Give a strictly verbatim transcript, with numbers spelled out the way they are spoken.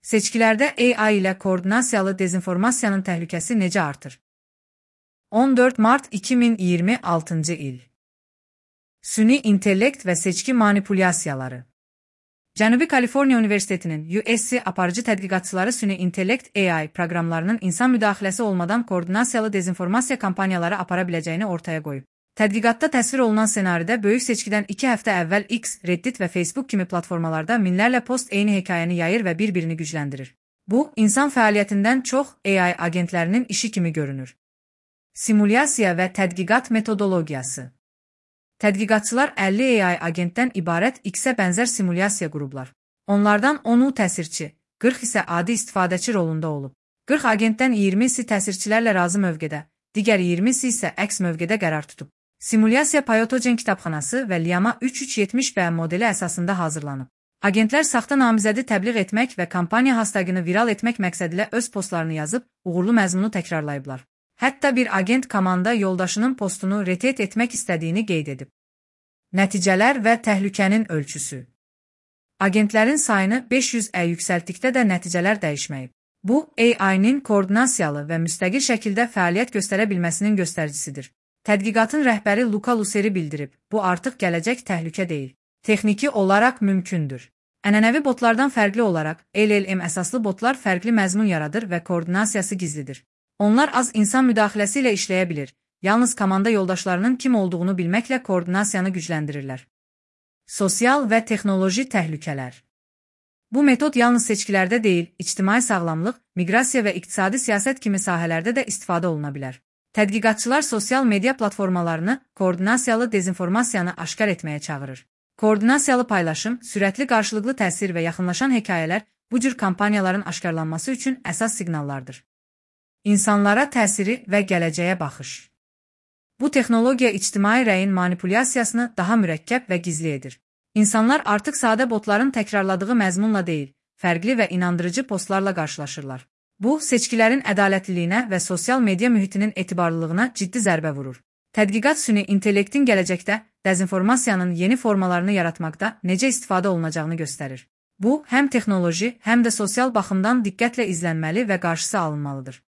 Seçkilərdə A I ilə koordinasiyalı dezinformasiyanın təhlükəsi necə artır? on dörd mart iki min iyirmi altıncı il. Süni intellekt və seçki manipulyasiyaları. Cənubi Kaliforniya Universitetinin U S C aparıcı tədqiqatçıları süni intellekt A I proqramlarının insan müdaxiləsi olmadan koordinasiyalı dezinformasiya kampaniyaları apara biləcəyini ortaya qoyub. Tədqiqatda təsvir olunan senaridə böyük seçkidən iki həftə əvvəl X, Reddit və Facebook kimi platformalarda minlərlə post eyni hekayəni yayır və bir-birini gücləndirir. Bu, insan fəaliyyətindən çox A I agentlərinin işi kimi görünür. Simulyasiya və tədqiqat metodologiyası. Tədqiqatçılar əlli A I agentdən ibarət X-ə bənzər simulyasiya qurublar. Onlardan onu təsirçi, qırx isə adi istifadəçi rolunda olub. qırx agentdən iyirmisi təsirçilərlə razı mövqedə, digər iyirmisi isə əks mövqedə qərar tutub. Simulyasiya Pyotogen kitabxanası və Llama üç üç yetmiş B modeli əsasında hazırlanıb. Agentlər saxta namizədi təbliğ etmək və kampaniya hashtagını viral etmək məqsədilə öz postlarını yazıb, uğurlu məzmunu təkrarlayıblar. Hətta bir agent komanda yoldaşının postunu retweet etmək istədiyini qeyd edib. Nəticələr və təhlükənin ölçüsü. Agentlərin sayını beş yüz ə yüksəltdikdə də nəticələr dəyişməyib. Bu, A I-nin koordinasiyalı və müstəqil şəkildə fəaliyyət göstərə bilməsinin göstəricisidir. Tədqiqatın rəhbəri Luca Luceri bildirib, bu artıq gələcək təhlükə deyil. Texniki olaraq mümkündür. Ənənəvi botlardan fərqli olaraq, L L M əsaslı botlar fərqli məzmun yaradır və koordinasiyası gizlidir. Onlar az insan müdaxiləsi ilə işləyə bilir, yalnız komanda yoldaşlarının kim olduğunu bilməklə koordinasiyanı gücləndirirlər. Sosial və texnoloji təhlükələr. Bu metod yalnız seçkilərdə deyil, ictimai sağlamlıq, miqrasiya və iqtisadi siyasət kimi sahələrdə də istifadə oluna bilər. Tədqiqatçılar sosial media platformalarını koordinasiyalı dezinformasiyanı aşkar etməyə çağırır. Koordinasiyalı paylaşım, sürətli qarşılıqlı təsir və yaxınlaşan hekayələr bu cür kampaniyaların aşkarlanması üçün əsas siqnallardır. İnsanlara təsiri və gələcəyə baxış. Bu texnologiya ictimai rəyin manipulyasiyasını daha mürəkkəb və gizli edir. İnsanlar artıq sadə botların təkrarladığı məzmunla deyil, fərqli və inandırıcı postlarla qarşılaşırlar. Bu, seçkilərin ədalətliliyinə və sosial media mühitinin etibarlılığına ciddi zərbə vurur. Tədqiqat süni intellektin gələcəkdə dezinformasiyanın yeni formalarını yaratmaqda necə istifadə olunacağını göstərir. Bu, həm texnoloji, həm də sosial baxımdan diqqətlə izlənməli və qarşısı alınmalıdır.